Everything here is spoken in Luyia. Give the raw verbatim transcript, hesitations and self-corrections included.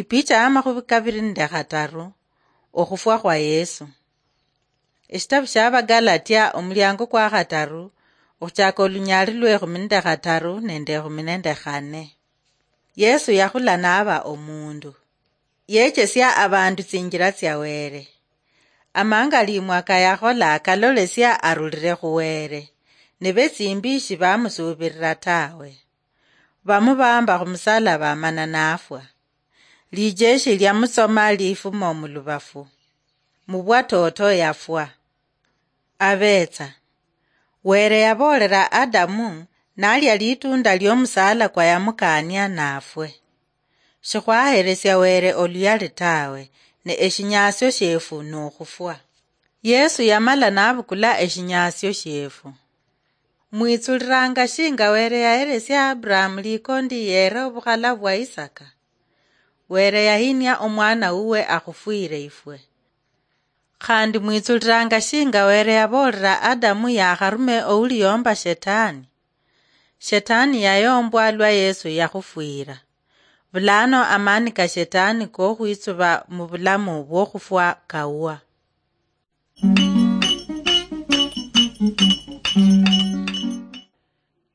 Ipicha ya makhubi kabiri nende khataru. Okhufwa khwa Yesu. Eshitabu shia Abagalatia, omuliango kwa khataru, okhuchaka olunyaali lwe ekhumi nende khataru nende ekhumi nende khane. Yesu yakhula naba omundu. Yechesia abandu tsinjila tsia Wele. Amanga limwaka yakhola akalolesia arulile khu Wele, ne betsimbi shibamusuubirira tawe. Bamubamba khumusalaba mana nafwa. Lijeshi liamutsoma lifuma mulubafu. Mubwatoto yafwa. Abetsa. Wele yaboolera Adamu nalia litunda liomusaala kwa yamukaania nafwe. Shikhwahelesia Wele oluyali tawe, ne eshinyasio shiefu nokhufwa. Yesu yamala nabukula eshinyasio shiefu. Mwitsulilanga shinga Wele yahelesia Abrahamu likondi yere obukhala bwa Isaka? Wele yahinia omwana uwe akhufwire ifwe. Khandi mwitsulilanga shinga Wele yaboolera Adamu yakharume ouliyomba Shetani? Shetani yayombwa lwa Yesu yakhufwira. Bulano amani ka Shetani kokhwitsuba mubulamu bwokhufwa kawa.